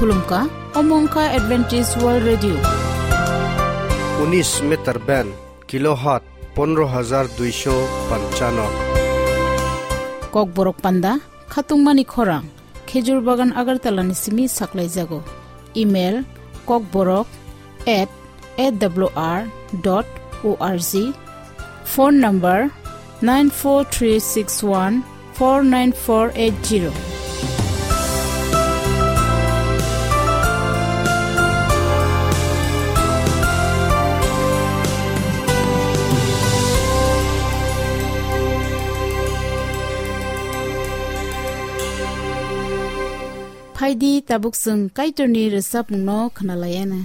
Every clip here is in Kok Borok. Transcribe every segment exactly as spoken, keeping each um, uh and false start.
Khulumkha, omo wngkha Adventist World Radio. Unis meter band, kilohertz pondro hajar duisho panchano. Kokborok panda, khatungmani khorang, Khejur Bagan Agartala ni simi saklaijago. Email, kokborok at A W R dot O R G. Phone number nine four three six one four nine four eight zero. Phaidi tabuk chwng Kaitorni rwchapmungno khwnalaiana.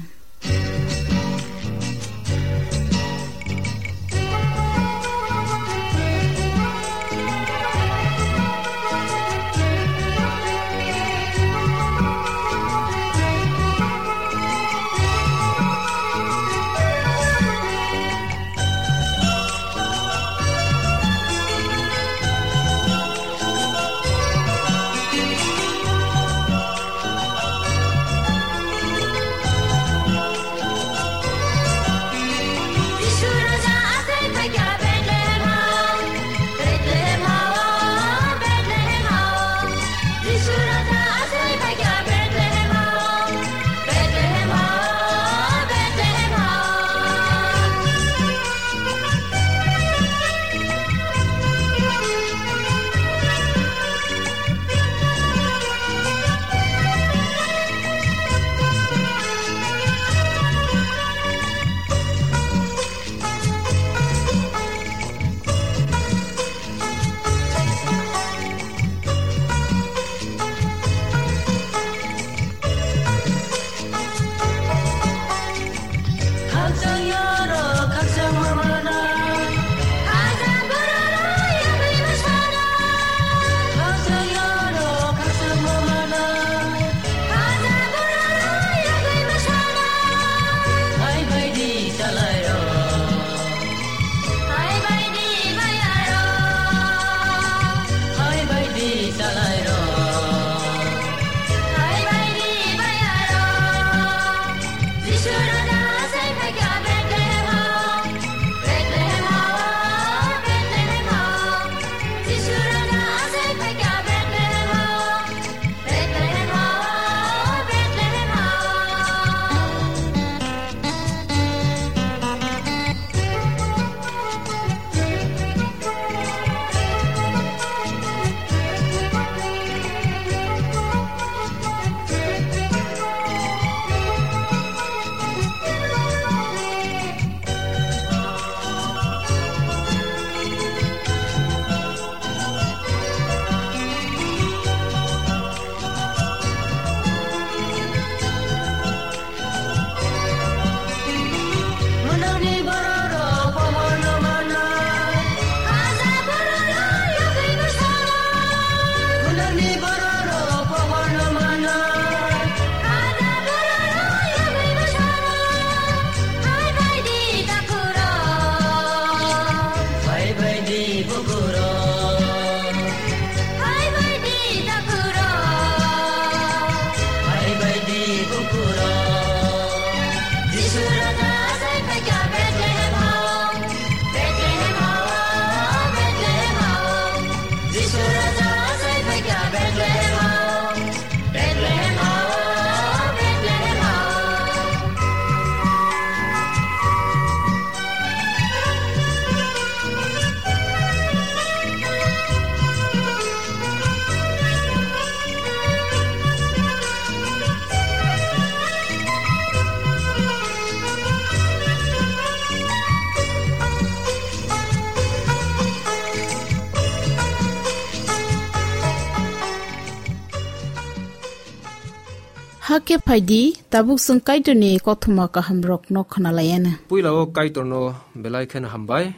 Hakhe phaidi, tabuk chwng Kaitorni kothoma kahamrokno khwnalaiana. Puila o Kaitorno belai kheno hambai.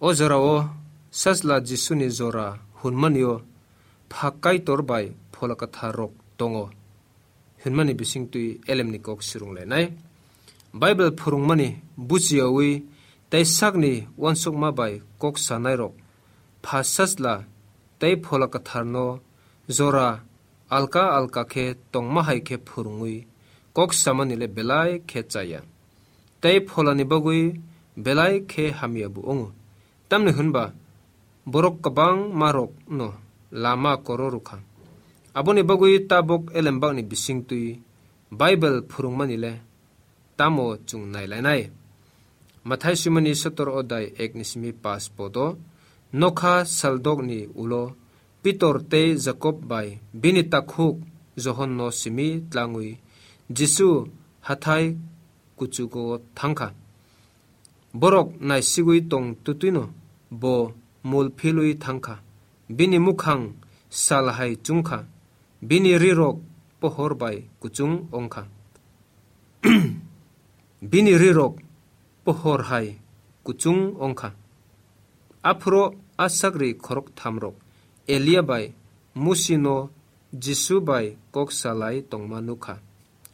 O jorao Sajla Jisuni jora hwnmani o Pha Kaitor bai Phola Kwthar rok tongo hwnmani bisingtwi elemni kok swrwnglainai. Bible phwrwngmani buchiyawi tei sakni uansukma bai kok sanairok Pha Sajla tei Phola Kwtharno jora alka alka khe tongma hai khe phwrwngwi kok samani le belai khe chaya. Tei pholani bagwi belai khe hamya bo wngo. Tamni hwnba borok kwbangma rokno lama koro rwkha. Aboni bagwi tabuk elembakni bisingtwi Bible phwrwngmani le tamo chwng nailainai. Mathai swimani sotor odai ek ni simi pas podo, nokha saldokni ulo Pitor tei Jakob bai bini takhuk Johonno simi tlangwi Jisu hathai kuchugo thangkha. Borok naisigwi tong twtwino bo mul philwi thangkha. Bini mukhang sal hai chungkha. Bini rirok pohor bai kuchung ongkha. Bini rirok pohor hai kuchung ongkha. Aphuru a sagri khorok thamrok Elia bai Musino Jisu bai kok salai tongma nukha.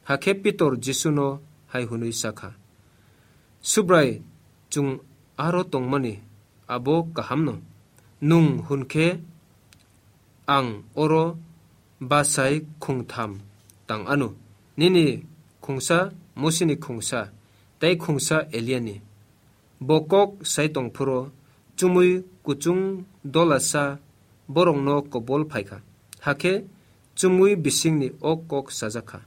Hakhe Pitor Jisuno hai hwnwi sakha, "Subrai, chwng aro tongmani abo kahamno. Nwng hwn khe ang oro bachai khungtham tang anw, nini khungsa, Musini khungsa, tei khungsa Eliani." Bo kok sai tong phuru chumui kuchung dolasa borokno kobol phai kha. Hakhe chumui bisingni o kok sajak kha,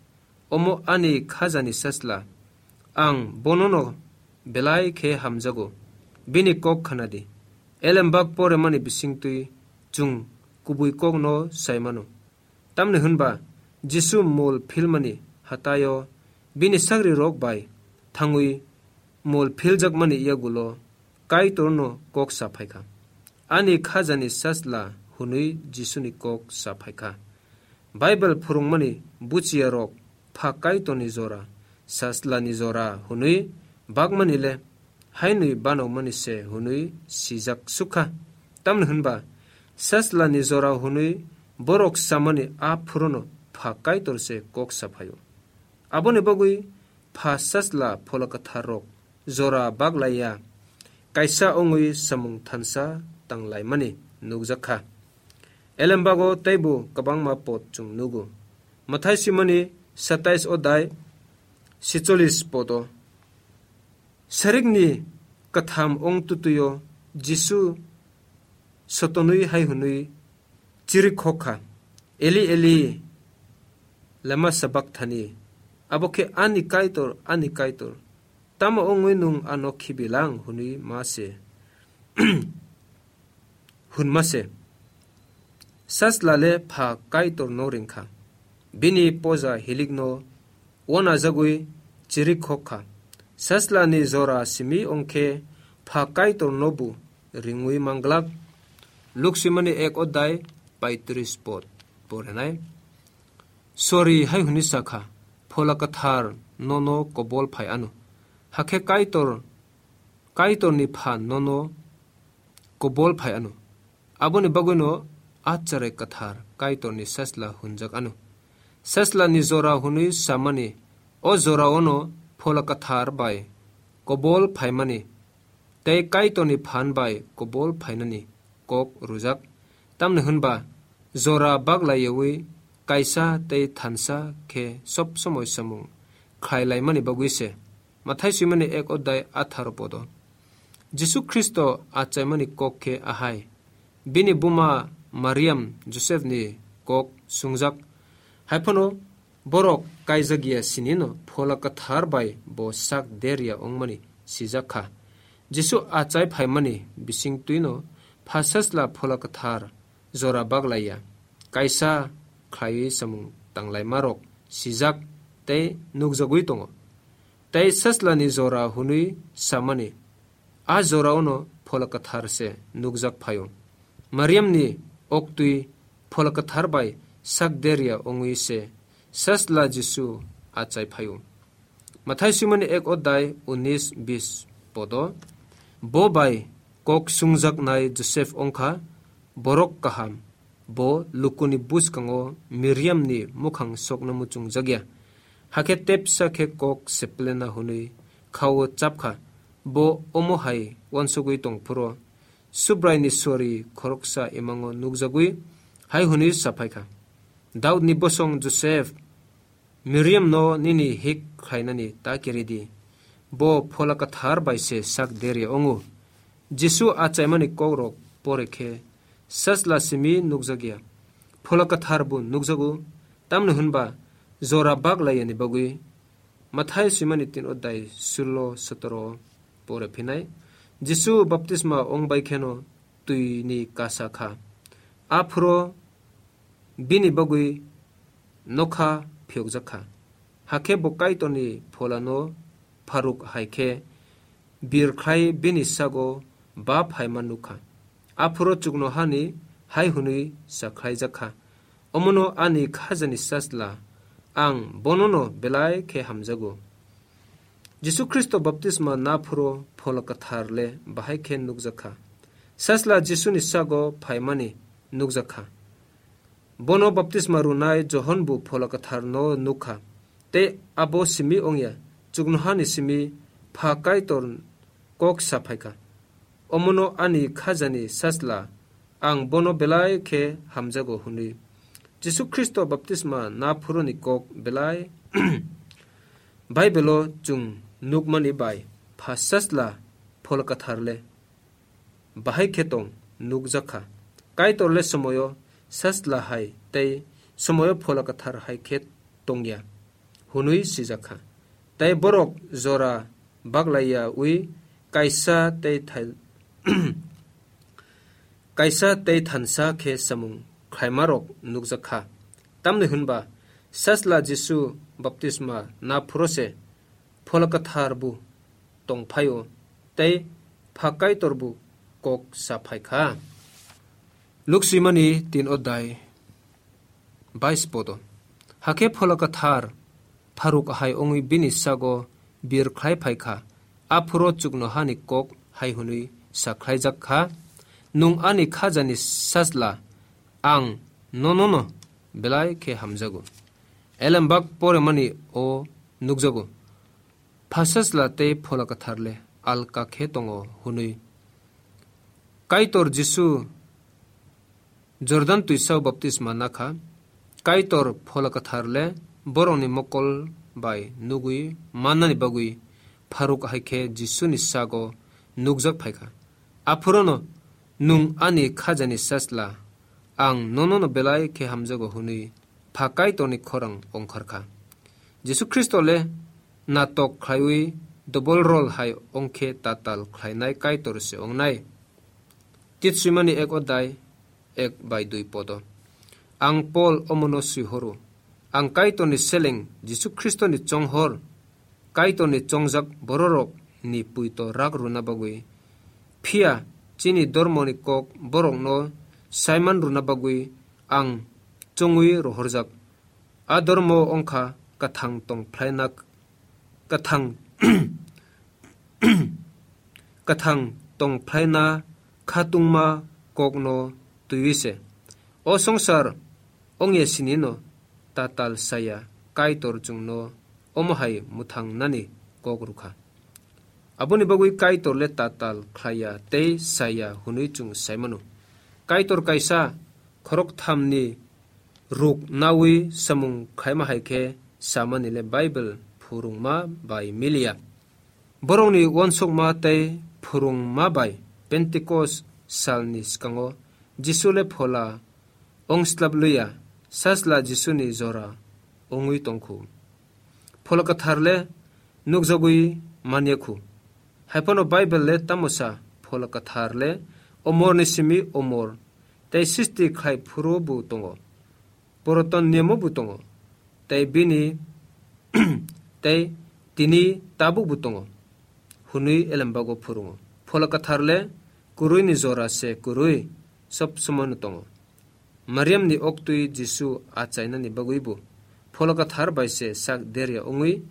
"Omo ani khajani sachla, ang bonono belai khe hamjago, bini kok khna di." Elembak poremani bisingtwi chwng kubui kokno sai mano. Tamni hwnba Jisu mol philmani hataio bini sagrirok bai thangwi mol philjakmani yagulo Kaitorno kok sa phaikha. "Ani khajani sachla," hwnwi Jisuni kok sa phaikha. Bible phwrwngmani buchiyarok pha Kaitorni jora, sachlani jora hwnwi bakmani le hainwi banokmani se hwnwi sijak sukha. Tamni hwnba sachlani jora hwnwi borok samani a phuruno pha Kaitor se kok sa phaio. Aboni bagwi pha sachla phola kwtharrok jora baglaiya kaisa wngwi samung thansa tanglaimani nukjakha. Elembago teibo kwbangma pod chwng nugo. Mathai swimani satais odai sicholis podo. Sarikni katham ong tutuyo Jisu sotonwi hai hwnwi chirikhokha, "Eli, Eli, lama sabakthani?" Abo khe, "Ani Kaitor, ani Kaitor, tamo wngwi nwng ano khibilang?" hwnwi ma se, hwnma se. Sachla le pha Kaitorno ringkha. Bini poja hilikno wanajagwi chirikhokha. Sachlani jora simi ongkhe pha Kaitorno bo ringwi manglak. Luk swimani ek odai paitris pod porenai. Sori hai hwnwi sakha, "Phola Kwthar nono kobol phai ano. Hakhe Kaitor, Kaitorni pha nono kobol phai ano." Aboni bagwino a cherai kwthar Kaitorni sachla hwnjak ano. Sachlani jora hwnwi samani o joraono phola kwthar bai kobol phaimani tei Kaitorni phan bai kobol phainani kok rwjak. Tamni hwnba jora baglaiyawi kaisa tei thansa khe sob somoi samung khlai laimani bagwi se. Mathai swimani ek odai atharo podo. Jisu Khristo achaimani kok khe ahai. Bini buma Mariam Josepni kok sungjak. Haiphano borok kaijak ya sinino phola kwthar bai bo sak der ya wngmani sijak kha. Jisu achai phaimani bisingtwino pha sachla phola kwthar jora baglaiya kaisa khlaiwi samung tanglaimarok sijak tei nukjagwi tongo. Tei sachlani jora hwnwi samani a joraono phola kwthar se nukjak phaio. Mariamni oktwi phola kwthar bai sak der ya wngwi se sachla Jisu achai phaio. Mathai swimani ek odai unis bis podo. Bo bai kok sungjaknai Joseph wngkha borok kaham. Bo lukuni bwskango Miriamni mukhang sokno muchungjak ya. Hakhe tepsa khe kok seplena hwnwi khao chapkha. Bo omo hai uansugwi tongphuru Subraini sori khoroksa imango nukjagwi hai hwnwi saphaikha, Daudni bosong Joseph, Miriamno nini hik khlainani ta kiri di. Bo Phola Kwthar bai se sak derya wngo. Jisu achaimani kokrok pore khe sajla simi nukjakya, Phola Kwthar bo nukjago, tamni hwnba jora bak laiyani bagwi. Mathai swimani tin odai sullo sotoro pore phinai. Jisu baptisma ong bai kheno twini kasa kha. Aphuru bini bagwi nokha phiyokjak kha. Hakhe bo Kaitorni Pholano pharuk hai khe birkhlai bini sago ba phaima nuk kha. Aphuru chuknohani hai hwnwi sa khlaijak kha, "Omono ani khajani sajla, ang bonono belai khe hamjago." Jisu Khristo baptisma naphuru Phola Kwthar le bahai khe nukjak kha. Sajla Jisuni sago phaimani nukjak kha. Bono baptisma rwnai Johon bo Phola Kwtharno nuk kha, tei abo simi wngya, chuknohani simi Pha Kaitor kok sa phai kha, "Omono ani khajani sajla, ang bono belai khe hamjago," hwnwi. Jisu Khristo baptisma naphuruni kok belai Baibelo chwng nukmani bai Pha sajla Phola Kwthar le bahai khe tong nukjak kha. Kaitor le somoyo sajla hai tei somoyo Phola Kwthar hai khe tongya hwnwi swijak kha. Tei borok jora baglaiya wi kaisa tei thai-, kaisa tei thansa khe samung khlaimarok nukjak kha. Tamni hwnba sajla Jisu baptisma naphuru se Phola Kwthar bo tong phaio tei Pha Kaitor bo kok sa phai kha. Luk swimani tin odai bais podo. Hakhe Phola Kwthar pharuk hai wngwi bini sago bir khlai phai kha. Aphuru chuknohani kok hai hwnwi sa khlaijak kha, "Nwng ani khajani sajla, ang nonono belai khe hamjago." Elembak poremani o nukjago. Pha sajla tei Phola Kwthar le alka khe tongo hwnwi. Kaitor Jisu Jordan twisao baptisma nakha. Kaitor Phola Kwthar le borokni mokol bai nugwi mannani bagwi pharuk hai khe Jisuni sago nukjak phai kha. Aphurono, "Nwng ani khajani sajla, ang nonono belai khe hamjago," hwnwi Pha Kaitorni khorang ongkhar kha. Jisu Khristo le natok khlaiwi double role hai ongkhe tatal khlainai Kaitor se ongnai. Tit swimani ek odai ek bai dui podo. Ang Pol omono swihoro. Ang Kaitorni seleng Jisu Khristoni chonghor, Kaitorni chongjak bororokni puito rak rwna bagwi. Phiya chini dormoni kok borokno saiman rwna bagwi ang chongwi rohorjak. A dormo wngkha kwthang tong phlaina, kwthang, kwthang tong phlaina khatungma kokno twiwi se. O songsar ongya sinino tatal saya Kaitor chwngno omo hai mwthangnani kok rwkha. Aboni bagwi Kaitor le tatal khlaiya tei saya hwnwi chwng saimano. Kaitor kaisa khorok thamni ruk nawi samung khaima hai khe samani le Bible phwrwngma bai miliya. Borokni uansukma tei phwrwngma bai Pentecost salni swkango Jisu le phola ongslap liya, sajla Jisuni jora ongwi tongkhu. Phola Kwthar le nukjagwi manya khu. Haiphano Bible le tamo sa, Phola Kwthar le omorni simi omor tei sisti khlai phuru bo tongo. Puraton niyamo bo tongo, tei bini, tei tini tabuk bo tongo, hwnwi elembago phwrwngo. Phola Kwthar le kwrwini jora se kwrwi sob somoino tongo. Mariamni oktwi Jisu achainani bagwi bo Phola Kwthar bai se sak derya wngwi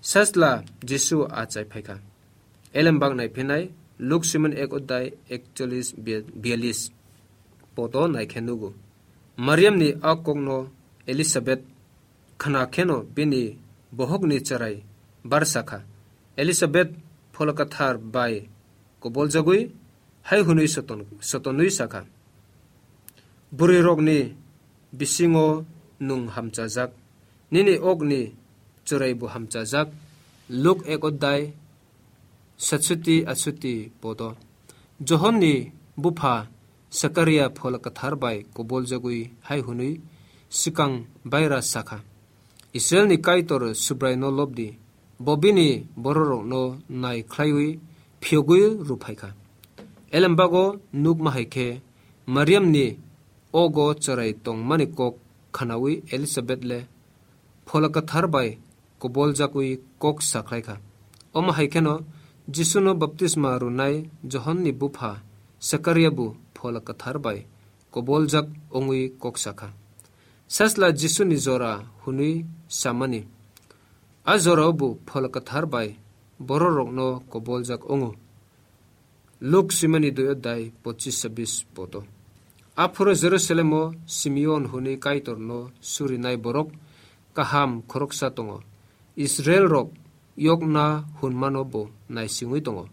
sajla Jisu achai phaikha. Elembak naiphinai Luk Simon ek odai ekchollis biya-, biyalis poto naikhe nugo. Mariamni a kokno Elisabet khna kheno bini bohokni chwrai barsa kha. Elisabet Phola Kwthar bai koboljagwi hai hwnwi soton-, sotonwi sakha, "Bwrwirokni bisingo nwng hamchajak, nini okni chwraibo hamchajak. Luk ek odhyay satshoti atshoti podo. Johonni bupha Sakaria Phola Kwthar bai koboljagwi hai hwnwi swkang baira sakha, "Israilni Kaitor Subraino lobdi, bo bini bororokno nai khlaiwi phiyogwi rw phaikha." Elembago nukma hai khe Mariamni ogo chwrai tongmani kok khnaui Elisabet le Phola Kwthar bai koboljakwi kok sakhlaikha. Omo hai kheno Jisuno baptisma rwnai Johonni bupha Sakariabo Phola Kwthar bai koboljak wngwi kok sakha. Sasla Jisuni jora hwnwi samani, a jorao bo Phola Kwthar bai bororokno koboljak wngo. Luk swimani dui odhyay pochis sabis podo. Aphuru Jerusalemo Simeon hwnwi Kaitorno surinai borok kaham khoroksa tongo. Israilrok yokna hwnmano bo naisingwi tongo.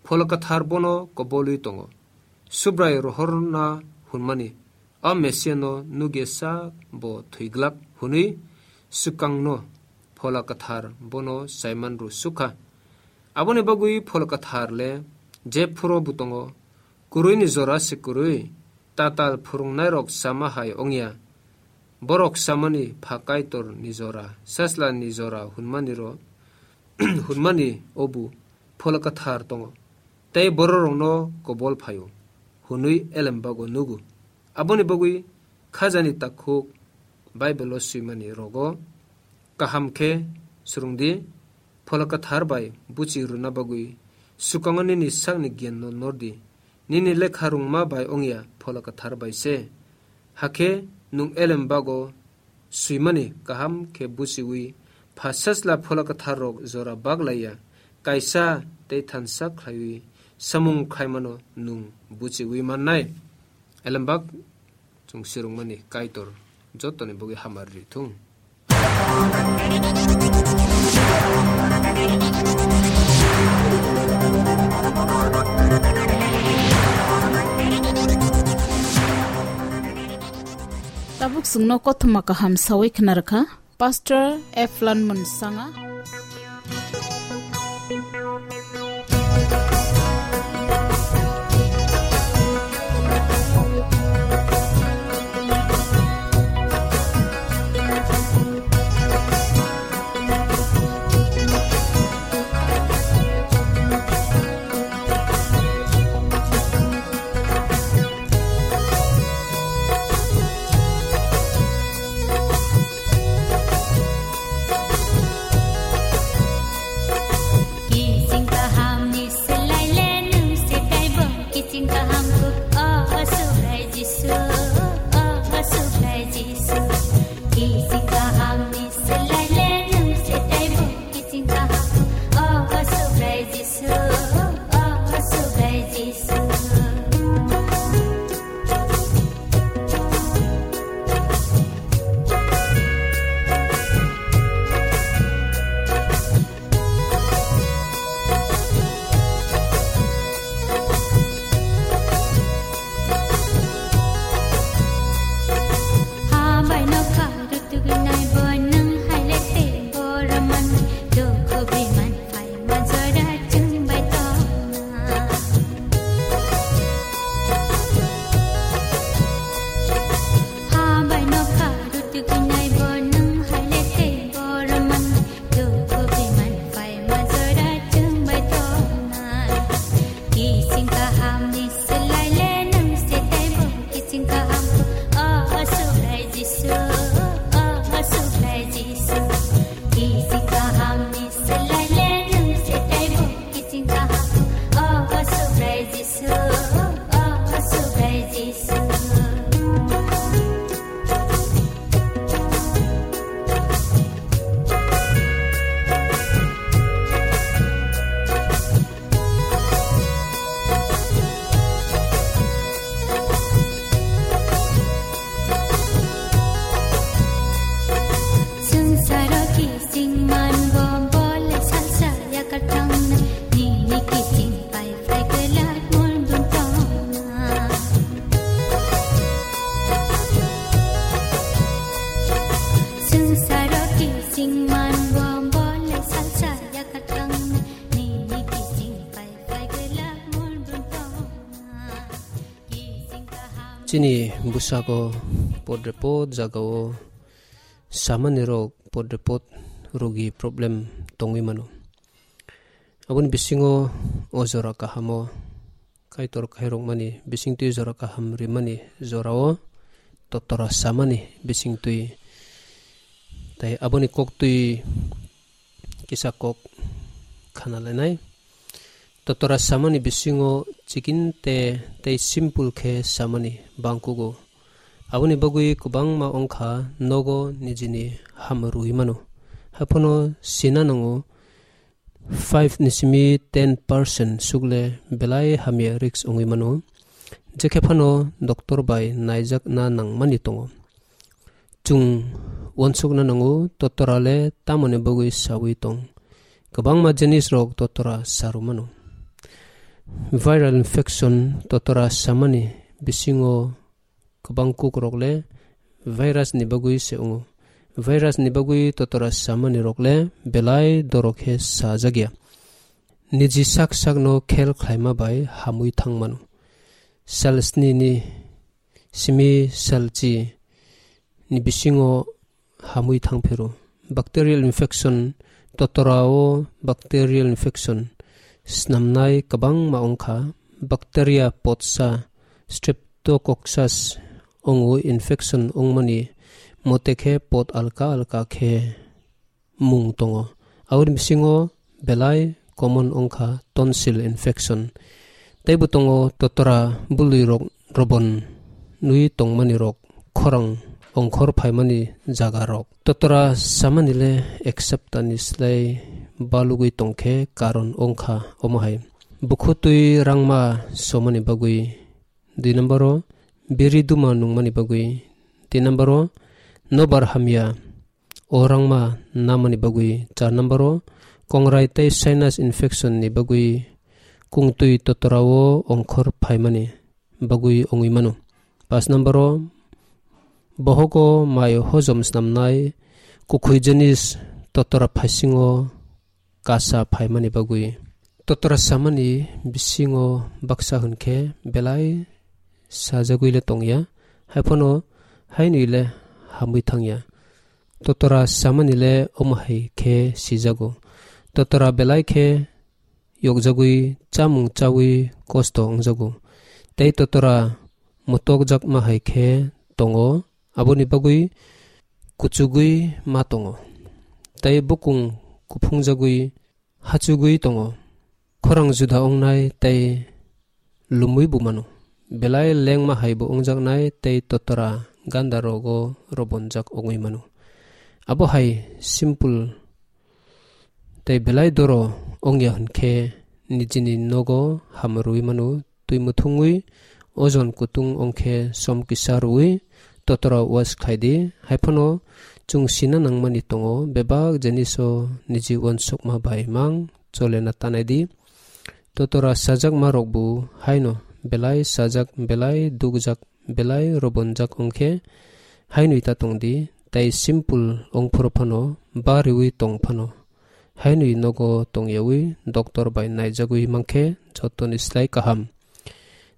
Phola Kwthar bono kobolwi tongo. Subrai rohorna hwnmani, a Mesiano nugya sak bo thwiglak hwnwi swkangno Phola Kwthar bono Simon ru sukha. Aboni bagwi Phola Kwthar le jephuru bo tongo, kwrwini jora se kwrwi, tatal phwrwngnairok sama hai wngya. Borok samani pha Kaitor ni jora, sasla ni jora hwnmani ro, hwnmani obu Phola Kwthar tongo, tei bororokno kobol phaio, hwnwi elembago nugo. Aboni bagwi khajani takhuk Bible-o swimani rogo kaham khe swrwngdi, Phola Kwthar bai buchi rwna bagwi swkango nini sakni giyanno nordi. Nini lekha rwngma bai wngya, Phola Kwthar bai se. Hakhe nwng elembago swimani kaham khe buchiwi, pha sasla Phola Kwtharrok jora baglaiya, kaisa tei thansa khlaiwi samung khlaimano nwng buchiwi mannai. Elembak chwng swrwngmani Kaitor jotoni bagwi hamari rithung. Tabuk chwngno kothoma kaham sawi khna rwkha Pastor Eflan Munsanga. Kiching kaham ni selai le nung se taibo, kiching kaham ku, oh, oh, Subrai Jisu, oh, oh, Subrai Jisu. Kiching kaham ni selai le nung se taibo, kiching kaham ku, oh, oh, Subrai Jisu, oh, oh, Subrai Jisu. Hambai nokha rutugwi nai bo nwng hai le tei borok man dukhu biman phai ma jora chwng bai tongna. Hambai nokha rutugwi nai bo nwng hai le tei borok man dukhu biman phai ma jora chwng bai tongna. Kiching kaham ni selai le nung se taibo, kiching kaham ku, oh, oh, Subrai Jisu, oh, oh, Subrai Jisu. Kiching kaham Chini bwskango podrepot jagao samani rok podrepot rogi problem tongwi mano. Aboni bisingo o jora kahamo Kaitor khairokmani bisingtwi jora kaham rimani jorao totora samani bisingtwi tai aboni koktwi kisa kok khana lainai. Totora samani bisingo chikinte tei simple khe samani bangkugo. Aboni bagwi kwbangma wngkha nogo nijini ham rwui mano. Haphano sina nango five ni simi ten percent sukle belai hamya risk wngwi mano. Jekhe phano doctor bai naijakna nangmani tongo. Chwng uansukna nango, totora le tamoni bagwi saui tong. Kwbangma jinis rok totora saru mano. Viral infection totora samani bisingo kwbang kuk rok le virus ni bagwi se wngo. Virus ni bagwi totora samani rok le belai doro khe sajakya. Niji sak sakno khel khlaima bai hamwi thang mano. Sal sni ni simi salchi ni bisingo hamwi thang phiro. Bacterial infection, totorao bacterial infection snamnai kwbangma wngkha. Bacteria potsa Streptococcus wngo infection wngmani mote khe pot alka alka khe mung tongo. Aboni bisingo belai common wngkha tonsil infection. Teibo tongo totora bului rok robon nui tongmani rok, khorang ongkhor phaimani jaga rok. Totora samani le ek saptani slai balugwi tongkhe karon wngkha omo hai. Bukhutwi rangma somani bagwi. Dui number o biri duma nungmani bagwi. Tin number o nobar hamya o rangma namani bagwi. Char number o kongrai tei sinus infection ni bagwi kungtwi totora o ongkhor phaimani bagwi wngwi mano. Pas number o bohogo mai hojom snamnai kukhui jinis totora phaisingo kasa phaimani bagwi. Totora samani bisingo baksa hwnkhe belai sajagwi le tongya, haiphano hainwi le hamwi thangya. Totora samani le omo hai khe sijago. Totora belai khe yokjagwi chamung chawi kosto wngjago. Tei totora motokjakma hai khe tongo, aboni bagwi kuchugwi ma tongo. Tei bukung kuphungjagwi hachugwi tongo. Khorang juda wngnai tei lumwi bo mano. Belai lengma hai bo wngjaknai tei totora ganda rogo robonjak wngwi mano. Abo hai simple tei belai doro wngya hwnkhe nijini nogo ham rwui mano, twi muthungwi ojon kutung wngkhe som kisa rwui totora wash khlai di. Haiphano chwng sina nangmani tongo, bebak jiniso niji uansukma bai mang cholena tanai di. Totora sajakma rokbo haino belai sajak, belai dukjak, belai robonjak wngkhe hainwi ta tong di, tei simple wngphuru phano bariwi tong phano hainwi nogo tongyawi doctor bai naijagwi mankhe jotoni slai kaham.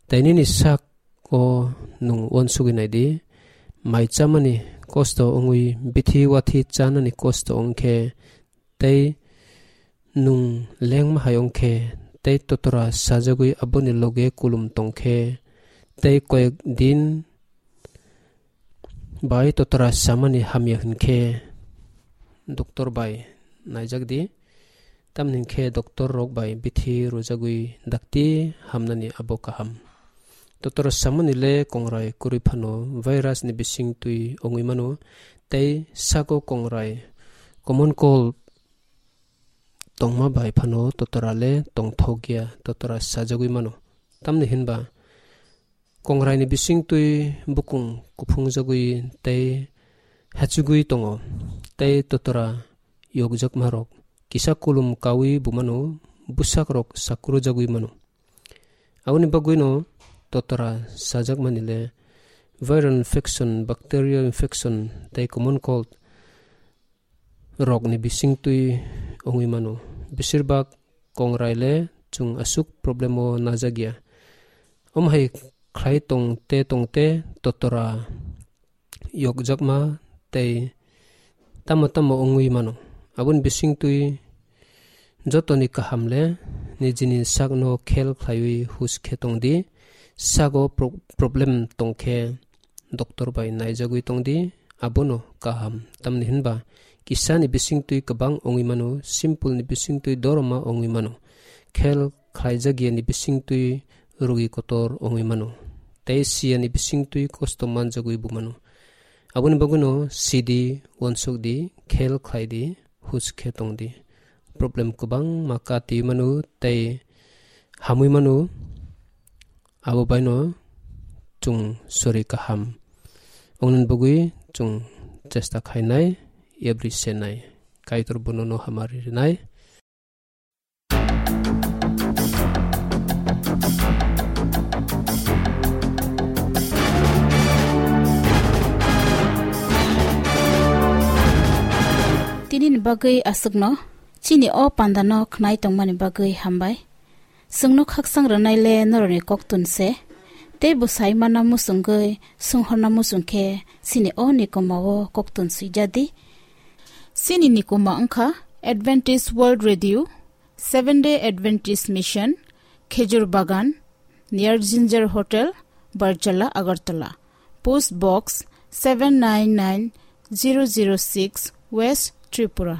Tei nini sak o nwng uansugwi nai di, mai chamani kosto wngwi bithi wathi chanani kosto wngkhe, tei nwng lengma hai wngkhe, tei totora sajagwi aboni loge kulum tongkhe, tei koyek din bai totora samani hamya hwnkhe doctor bai naijak di, tamni hwnkhe doctor rok bai bithi rwjagwi dakti hamnani abo kaham. Totora samani le kongrai kwrwi phano virus ni bising twi wngwi mano, tei sago kongrai common cold tongma bai phano totora le tongthokya, totora sajagwi mano. Tamni hinba kongrai ni bising twi bukung kuphungjagwi tei hachugwi tongo, tei totora yokjakma rok kisa kulum kawi bumano, bwsak rok sakrujagwi mano. Aboni bagwino totora sajakmani le viral infection, bacterial infection tei common cold rokni bising twi wngwi mano. Besirbak kongrai le chwng aswk problem o najakya. Omo hai khlai tong te tong te totora yokjakma tei tamo tamo wngwi mano. Aboni bisingtwi jotoni kaham le nijini sakno khel khlaiwi hus khe tong di. Sago pro-, problem tong khe doctor bai naijagwi tong di, abono kaham. Tamni hinba kisani bisingtwi kwbang wngwi mano, simple ni bisingtwi doroma wngwi mano, khel khlaijakya ni bisingtwi rugi kotor wngwi mano, tei siya ni bisingtwi kosto manjagwi bo mano. Aboni bagwino sidi, uansuk di, khel khlai di, hus khe tong di. Problem kwbangma kati mano tei hamwi mano, abo baino chwng sori kaham wngnani bagwi chwng chesta khainai, yabri senai. Kaitor bono no hamari rinai. Tini ni bagwi aswkno, chini o panda no khnai tongmani bagwi hambai. Chwngno khakchang rwnai le norokni koktun se, tei bwsai mana muchungwi swnghorna muchung khe chini o nikoma o koktun swijadi. Chini nikoma wngkha Adventist World Radio, Seventh Day Adventist Mission, Khejur Bagan, near Ginger Hotel, Barjala, Agartala. Post Box seven nine nine zero zero six, West Tripura.